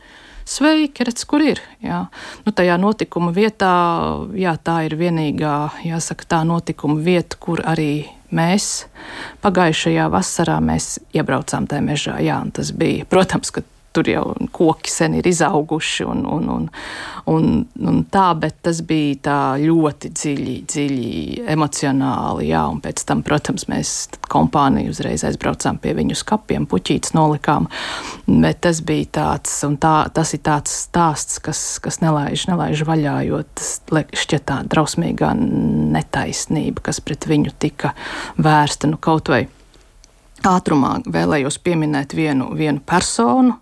sveiki, redz, kur ir. Jā. Tajā notikuma vietā, jā, tā ir vienīgā, jāsaka, tā notikuma vieta, kur arī mēs pagājušajā vasarā mēs iebraucām tajā mežā. Jā, un tas bija, protams, ka tur jau koki sen ir izauguši un tā, bet tas bija tā ļoti dziļi emocionāli, jā, un pēc tam, protams, mēs kompāniju uzreiz aizbraucām pie viņu skapiem, puķītes nolikām, bet tas bija tāds, un tas ir tāds stāsts, kas nelaiž vaļā, jo tas šķiet tā drausmīgā netaisnība, kas pret viņu tika vērsta, kaut vai ātrumā vēlējos pieminēt vienu personu,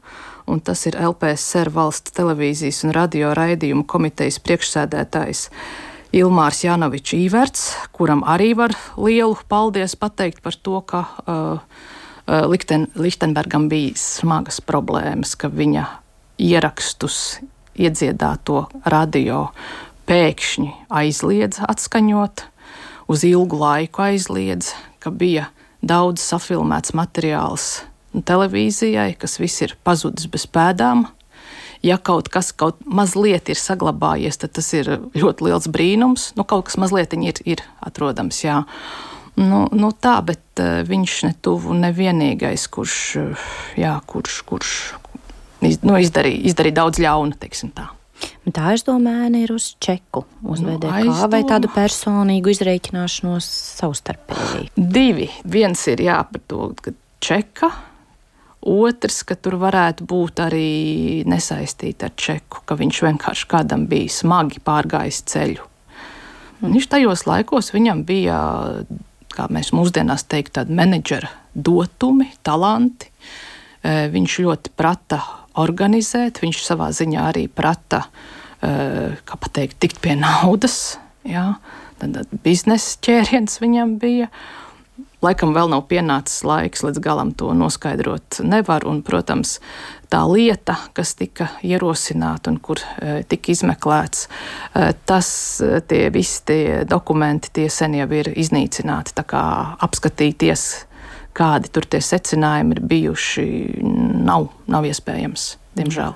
un tas ir LPSR valsts televīzijas un radio raidījumu komitejas priekšsēdētājs Ilmārs Jānovičs Īverts, kuram arī var lielu paldies pateikt par to, ka Lichtenbergam bija smagas problēmas, ka viņa ierakstus iedziedāto radio pēkšņi aizliedz atskaņot, uz ilgu laiku aizliedz, ka bija daudz safilmēts materiāls televīzijai, kas viss ir pazudis bez pēdām. Ja kaut mazliet ir saglabājies, tad tas ir ļoti liels brīnums. Kaut kas mazliet ir atrodams, jā. Tā, bet viņš netuvu nevienīgais, kurš izdarīja daudz ļauna, teiksim tā. Tā aizdomēna ir uz čeku, uz VDK vai tādu personīgu izreikināšanos savstarpēji? Divi. Viens ir par to, ka čeka, otrs, ka tur varētu būt arī nesaistīta ar čeku, ka viņš vienkārši kādam bija smagi pārgājis ceļu. Viņš tajos laikos viņam bija, kā mēs mūsdienās teikt, tādi menedžera dotumi, talanti. Viņš ļoti prata organizēt. Viņš savā ziņā arī prata, kā pateikt, tikt pie naudas. Jā. Tad biznesa ķēriens viņam bija. Laikam vēl nav pienācis laiks līdz galam to noskaidrot nevar, un, protams, tā lieta, kas tika ierosināta un kur tika izmeklēts, tie visi tie dokumenti, tie sen jau ir iznīcināti, tā kā apskatīties, kādi tur tie secinājumi ir bijuši, nav iespējams, diemžēl.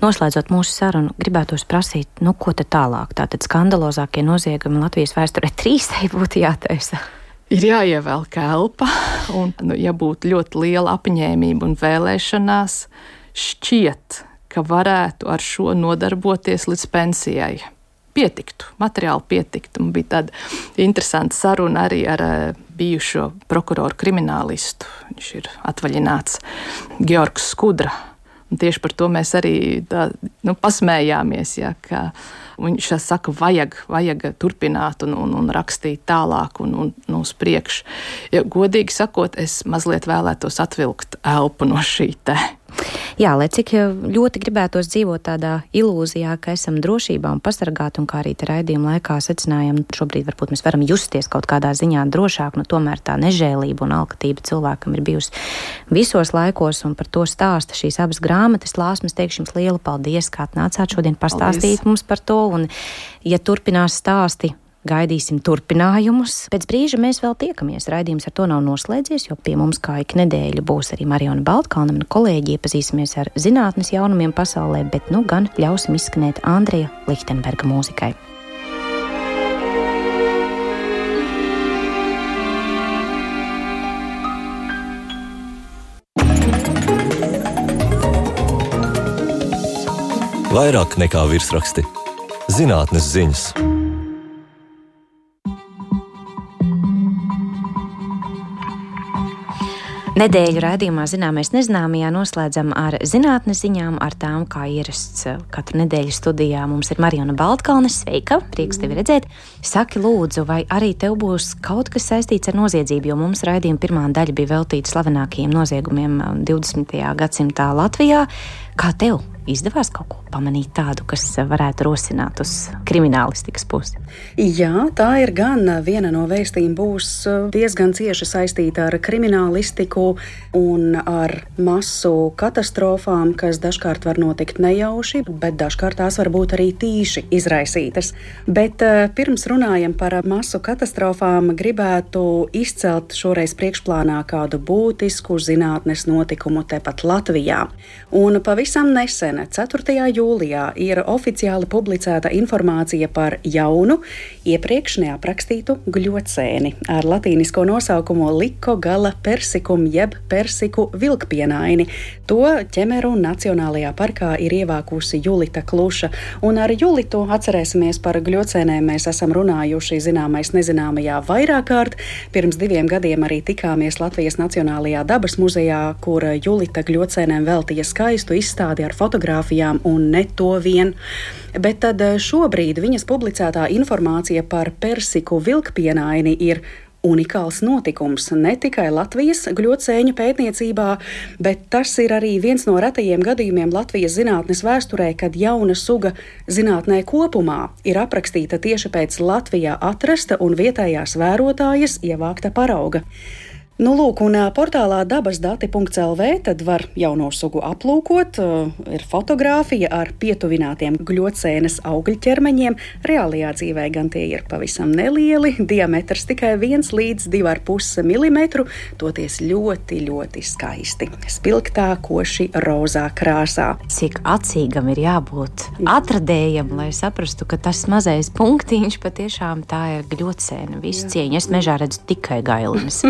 Noslēdzot mūsu sarunu, gribētos prasīt, ko tad tālāk? Tātad skandalozākie noziegumi Latvijas vēsturē 3 būtu jātaisa. Ir jāievelk elpa, un, ja būtu ļoti liela apņēmība un vēlēšanās, šķiet, ka varētu ar šo nodarboties līdz pensijai. Pietiktu, materiāli pietiktu. Un bija tāda interesanta saruna arī ar bijušo prokuroru kriminālistu. Viņš ir atvaļināts, Georgs Skudra. Un tieši par to mēs arī pasmējāmies, ja, ka viņš saka, vajag turpināt un rakstīt tālāk un uz priekšu. Ja, godīgi sakot, es mazliet vēlētos atvilkt elpu no šī te. Jā, lai cik ļoti gribētos dzīvot tādā ilūzijā, ka esam drošībā un pasargāti, un kā arī te raidījuma laikā secinājām, šobrīd varbūt mēs varam justies kaut kādā ziņā drošāk, tomēr tā nežēlība un alkatība cilvēkam ir bijusi visos laikos, un par to stāsta šīs abas grāmatas. Lāsmas, teikšu jums lielu paldies, kā atnācāt šodien pastāstīt mums par to, un ja turpinās stāsti, gaidīsim turpinājumus. Pēc brīža mēs vēl tiekamies. Raidījums ar to nav noslēdzies, jo pie mums kā ik nedēļu būs arī Mariona Baltkalna un kolēģi. Iepazīsimies ar zinātnes jaunumiem pasaulē, bet gan ļausim izskanēt Andreja Lichtenberga mūzikai. Vairāk nekā virsraksti. Zinātnes ziņas. Nedēļu raidījumā Zināmais nezināmajā noslēdzam ar zinātnes ziņām, ar tām, kā ierasts katru nedēļu studijā. Mums ir Mariona Baltkalne. Sveika, prieks tevi redzēt. Saki lūdzu, vai arī tev būs kaut kas saistīts ar noziedzību, jo mums raidījuma pirmā daļa bija veltīta slavenākajiem noziegumiem 20. gadsimtā Latvijā. Kā tev izdevās kaut ko pamanīt tādu, kas varētu rosināt uz kriminālistikas pusi? Jā, tā ir gan. Viena no vēstījuma būs diezgan cieši saistīta ar kriminālistiku un ar masu katastrofām, kas dažkārt var notikt nejauši, bet dažkārt tās var būt arī tīši izraisītas. Bet pirms runājam par masu katastrofām, gribētu izcelt šoreiz priekšplānā kādu būtisku zinātnes notikumu tepat Latvijā. Un pavisam nesen, 4. jūlijā, ir oficiāli publicēta informācija par jaunu, iepriekš neaprakstītu gļocēni ar latīnisko nosaukumu Licogala persicum jeb persiku vilkpienaini. To Ķemeru Nacionālajā parkā ir ievākusi Julita Kluša. Un ar Julitu, atcerēsimies, par gļocēnēm mēs esam runājuši Zināmais nezināmajā vairāk kārt. Pirms 2 gadiem arī tikāmies Latvijas Nacionālajā dabas muzejā, kur Julita gļocēnēm veltīja skaistu izstādi ar fotogrāfijām un ne to vien. Bet tad šobrīd viņas publicētā informācija par persiku vilkpienaini ir unikāls notikums ne tikai Latvijas gļocēņu pētniecībā, bet tas ir arī viens no retajiem gadījumiem Latvijas zinātnes vēsturē, kad jauna suga zinātnē kopumā ir aprakstīta tieši pēc Latvijā atrasta un vietējās vērotājas ievākta parauga. Lūk, un portālā dabasdati.lv tad var jauno sugu aplūkot. Ir fotogrāfija ar pietuvinātiem gļocēnes augļķermeņiem. Reālajā dzīvē gan tie ir pavisam nelieli, diametrs tikai 1 līdz 2,5 mm, toties ļoti, ļoti skaisti. Spilgtā, koši rozā krāsā. Cik acīgam ir jābūt atradējam, lai saprastu, ka tas mazais punktiņš patiešām tā ir gļocēna. Visu cieņu. Es mežā redzu tikai gailinis.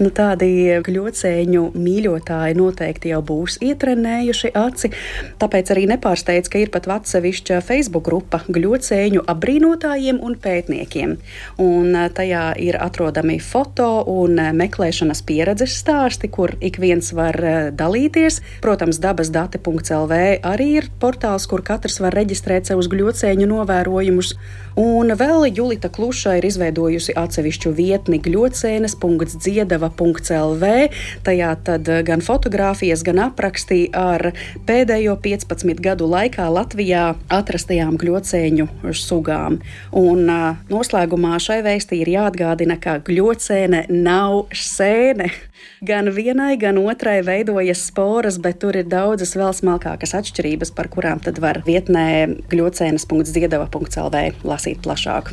Tādi gļocēņu mīļotāji noteikti jau būs ietrenējuši aci, tāpēc arī nepārsteidz, ka ir pat atsevišķa Facebook grupa gļocēņu apbrīnotājiem un pētniekiem. Un tajā ir atrodami foto un meklēšanas pieredzes stāsti, kur ik viens var dalīties. Protams, dabasdati.lv arī ir portāls, kur katrs var reģistrēt savus gļocēņu novērojumus. Un vēl Julita Kluša ir izveidojusi atsevišķu vietni gļocēnes.dziedava ziedava.lv. Tajā tad gan fotogrāfijas, gan aprakstī ar pēdējo 15 gadu laikā Latvijā atrastajām gļocēņu sugām. Un noslēgumā šai vēstī ir jāatgādina, ka gļocēne nav sēne. Gan vienai, gan otrai veidojas sporas, bet tur ir daudzas vēl smalkākas atšķirības, par kurām tad var vietnē gļocēnes.ziedava.lv lasīt plašāk.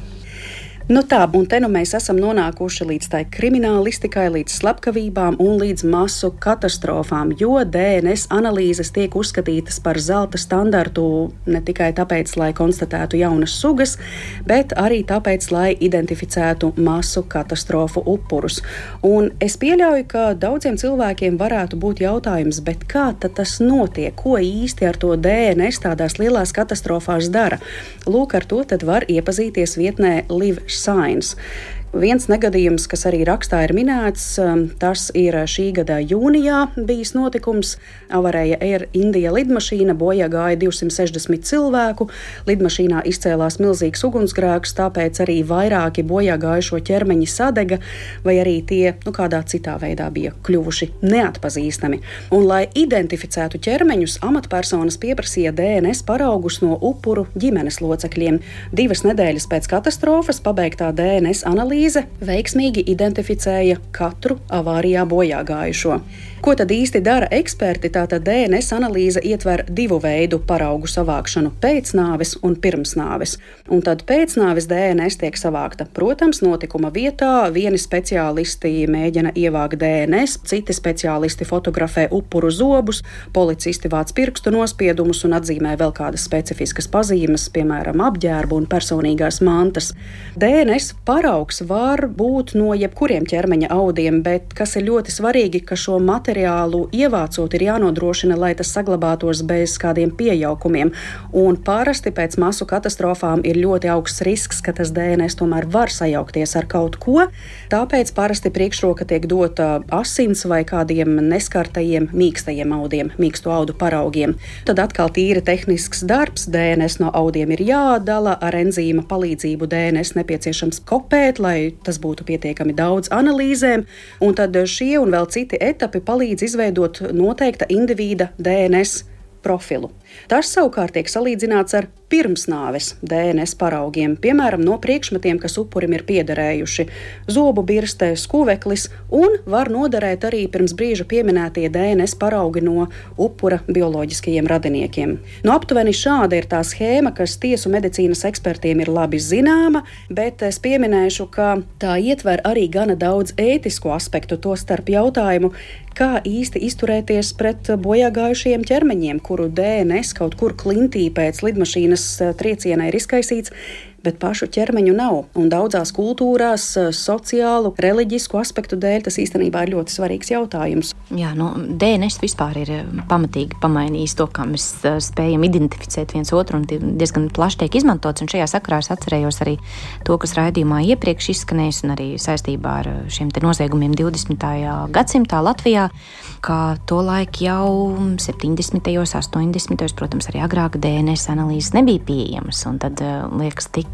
Nu tā, un te nu mēs esam nonākuši līdz tai kriminālistikai, līdz slepkavībām un līdz masu katastrofām, jo DNS analīzes tiek uzskatītas par zelta standartu ne tikai tāpēc, lai konstatētu jaunas sugas, bet arī tāpēc, lai identificētu masu katastrofu upurus. Un es pieļauju, ka daudziem cilvēkiem varētu būt jautājums, bet kā tad tas notiek? Ko īsti ar to DNS tādās lielās katastrofās dara? Lūk, ar to tad var iepazīties vietnē LiveScience. Viens negadījums, kas arī rakstā ir minēts, tas ir šī gada jūnijā bijis notikums. Avarēja Air India lidmašīna, bojā gāja 260 cilvēku. Lidmašīnā izcēlās milzīgs ugunsgrēks, tāpēc arī vairāki bojā gājušo ķermeņi sadega, vai arī tie kādā citā veidā bija kļuvuši neatpazīstami. Un, lai identificētu ķermeņus, amatpersonas pieprasīja DNS paraugus no upuru ģimenes locekļiem. 2 nedēļas pēc katastrofas pabeigtā DNS analīze veiksmīgi identificēja katru avārijā bojā gājušo. Ko tad īsti dara eksperti? Tātad DNS analīze ietver 2 veidu paraugu savākšanu – pēcnāves un pirmsnāves. Un tad pēcnāves DNS tiek savākta, protams, notikuma vietā. Vieni speciālisti mēģina ievākt DNS, citi speciālisti fotografē upuru zobus, policisti vāc pirkstu nospiedumus un atzīmē vēl kādas specifiskas pazīmes, piemēram, apģērbu un personīgās mantas. DNS paraugs var būt no jebkuriem ķermeņa audiem, bet kas ir ļoti svarīgi, ka šo materiālu ievācot ir jānodrošina, lai tas saglabātos bez kādiem piejaukumiem. Un parasti pēc masu katastrofām ir ļoti augsts risks, ka tas DNS tomēr var sajaukties ar kaut ko. Tāpēc parasti priekšroka tiek dota asins vai kādiem neskartajiem mīkstajiem audiem, mīkstu audu paraugiem. Tad atkal tīri tehnisks darbs. DNS no audiem ir jāatdala, ar enzīma palīdzību DNS nepieciešams kopēt, lai tas būtu pietiekami daudz analīzēm, un tad šie un vēl citi etapi palīdz izveidot noteikta indivīda DNS profilu. Tas savukārt tiek salīdzināts ar pirmsnāves DNS paraugiem, piemēram, no priekšmetiem, kas upurim ir piederējuši, zobu birste, skuveklis, un var noderēt arī pirms brīža pieminētie DNS paraugi no upura bioloģiskajiem radiniekiem. Aptuveni šāda ir tā schēma, kas tiesu medicīnas ekspertiem ir labi zināma, bet es pieminēšu, ka tā ietver arī gana daudz ētisku aspektu, to starp jautājumu, kā īsti izturēties pret bojāgājušajiem ķermeņiem, kuru DNS kaut kur klintī pēc lidmašīnas trieciena ir izkaisīts, bet pašu ķermeņu nav. Un daudzās kultūrās sociālu, reliģisku aspektu dēļ tas īstenībā ir ļoti svarīgs jautājums. Jā, DNS vispār ir pamatīgi pamainījis to, kā mēs spējam identificēt viens otru, un diezgan plaši tiek izmantots. Un šajā sakarā es atcerējos arī to, kas raidījumā iepriekš izskanējis, un arī saistībā ar šiem te noziegumiem 20. gadsimtā Latvijā, kā tolaik jau 70. 80. protams, arī agrāk DNS analīzes nebija pieejamas, un tad liekas tik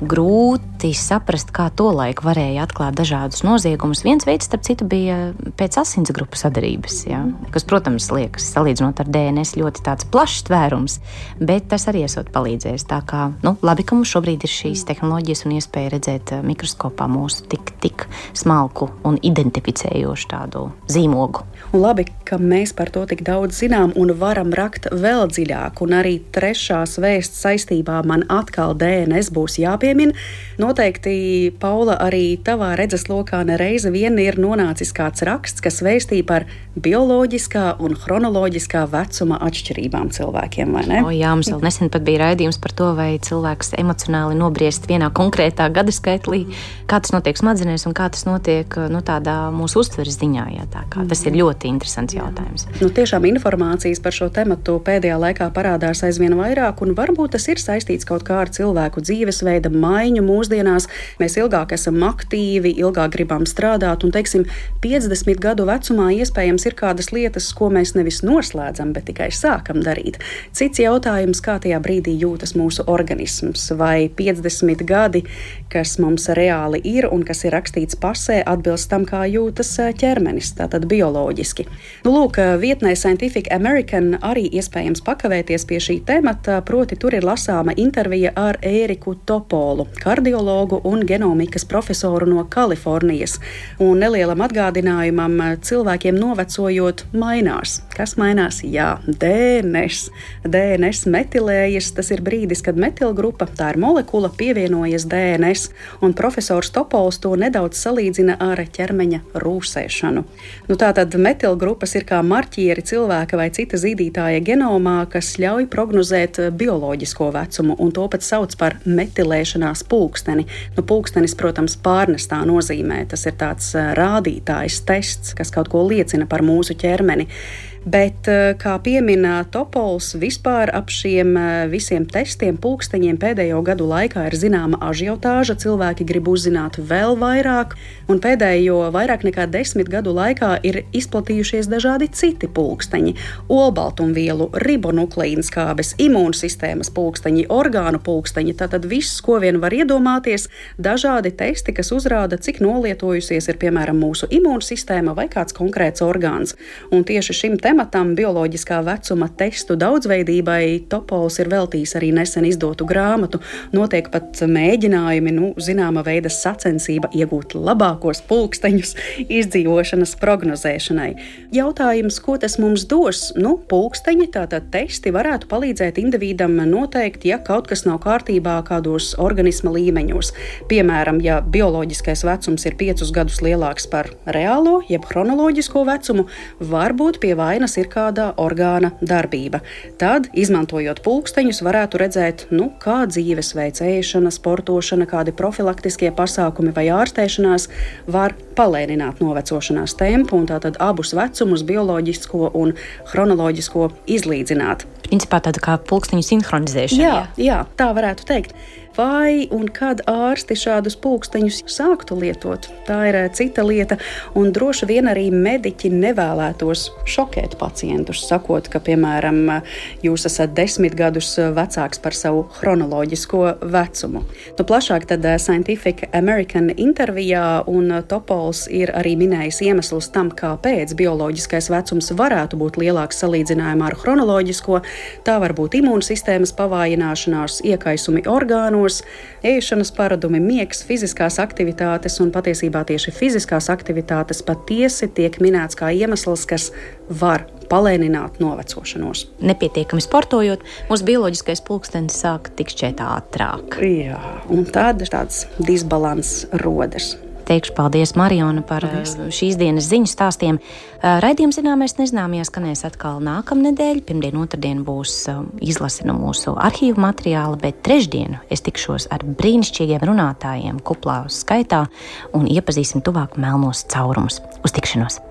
grūti saprast, kā tolaik varēja atklāt dažādus noziegumus. Viens veids, starp citu, bija pēc asinsgrupu sadarības, kas, protams, liekas, salīdzinot ar DNS, ļoti tāds plašs tvērums, bet tas arī esot palīdzējis. Tā kā, labi, ka mums šobrīd ir šīs tehnoloģijas un iespēja redzēt mikroskopā mūsu tik smalku un identificējošu tādu zīmogu. Un labi, ka mēs par to tik daudz zinām un varam rakt vēl dziļāk, un arī trešās vēsts saistībā man atkal DNS būs jāpiemina. Noteikti, Paula, arī tavā redzeslokā nereizi vien ir nonācis kāds raksts, kas vēstīja par bioloģiskā un chronoloģiskā vecuma atšķirībām cilvēkiem, vai ne? Jā, mums vēl nesen pat bija raidījums par to, vai cilvēks emocionāli nobriest vienā konkrētā gada skaitlī, kā tas notiek smadzenēs un kā tas notiek tādā mūsu uztveres ziņā. Tā kā tas ir ļoti interesants jautājums. Tiešām informācijas par šo tematu pēdējā laikā parādās aizvien vairāk, un varbūt tas ir saistīts kaut kā ar cilvēku dzīvesveida maiņu mūsdienās. Mēs ilgāk esam aktīvi, ilgāk gribam strādāt, un, 50 gadu vecumā iespējams ir kādas lietas, ko mēs nevis noslēdzam, bet tikai sākam darīt. Cits jautājums, kā tajā brīdī jūtas mūsu organisms, vai 50 gadi, kas mums reāli ir un kas ir rakstīts pasē, atbilst tam, kā jūtas ķermenis, tātad bioloģiski. Lūk, vietnē Scientific American arī iespējams pakavēties pie šī temata, proti tur ir lasāma intervija ar Ēriku Topolu, kardiologu un genomikas profesoru no Kalifornijas. Un nelielam atgādinājumam, cilvēkiem novecojot mainās. Kas mainās? Jā, DNS. DNS metilējas, tas ir brīdis, kad metilgrupa, tā ir molekula, pievienojas DNS, un profesors Topols to nedaudz salīdzina ar ķermeņa rūsēšanu. Tātad metilgrupas ir kā marķieri cilvēka vai cita zīdītāja genomā, kas ļauj prognozēt bioloģisko vecumu, un to pat sauc par metilēšanās pulksteni. Pulkstenis, protams, pārnestā nozīmē, tas ir tāds rādītājs, tests, kas kaut ko liecina par mūsu ķermeni. Bet, kā piemina Topols, vispār ap šiem visiem testiem, pulksteņiem pēdējo gadu laikā ir zināma ažiotāža, cilvēki grib uzzināt vēl vairāk, un pēdējo vairāk nekā 10 gadu laikā ir izplatījušies dažādi citi pulksteņi - olbaltumvielu, ribonukleīnu skābes, imūnsistēmas pulksteņi, orgānu pulksteņi, tātad viss, ko vien var iedomāties, dažādi testi, kas uzrāda, cik nolietojusies ir, piemēram, mūsu imūnsistēma vai kāds konkrēts orgāns. Un tieši šim tematam, bioloģiskā vecuma testu daudzveidībai, Topols ir veltījis arī nesen izdotu grāmatu. Notiek pat mēģinājumi, zināma veida sacensība iegūt labākos pulksteņus izdzīvošanas prognozēšanai. Jautājums, ko tas mums dos? Pulksteņi, tātad testi, varētu palīdzēt individam noteikt, ja kaut kas nav kārtībā kādos organisma līmeņos. Piemēram, ja bioloģiskais vecums ir 5 gadus lielāks par reālo, jeb chronoloģisko vecumu, varbūt pie vainas ir kāda orgāna darbība. Tad, izmantojot pulksteņus, varētu redzēt, kā dzīvesveids, ēšana, sportošana, kādi profilaktiskie pasākumi vai ārstēšanās var palēnināt novecošanās tempu un tātad abus vecumus, bioloģisko un chronoloģisko, izlīdzināt. Principā tāda kā pulksteņu sinhronizēšana. Jā, tā varētu teikt. Vai un kad ārsti šādus pulksteņus sāktu lietot? Tā ir cita lieta, un droši vien arī mediķi nevēlētos šokēt pacientus, sakot, ka, piemēram, jūs esat 10 gadus vecāks par savu chronoloģisko vecumu. Plašāk tad Scientific American intervijā, un Topols ir arī minējis iemeslus tam, kāpēc bioloģiskais vecums varētu būt lielāks salīdzinājumā ar chronoloģisko. Tā var būt imūnsistēmas pavājināšanās, iekaisumi orgānos, ēšanas paradumi, miegs, fiziskās aktivitātes, un patiesībā tieši fiziskās aktivitātes patiesi tiek minēts kā iemesls, kas var palēnināt novecošanos. Nepietiekami sportojot, mūsu bioloģiskais pulkstenis sāk tikšķēt ātrāk. Jā, un tad tāds disbalans rodas. Teikšu paldies, Mariona, par šīs dienas ziņu stāstiem. Raidījums Zināmais nezināmajā skanēs atkal nākamnedēļ. Pirmdien, otrdien būs izlase no mūsu arhīvu materiāla, bet trešdien es tikšos ar brīnišķīgiem runātājiem kuplā skaitā un iepazīsim tuvāk melnos caurumus. Uz tikšanos!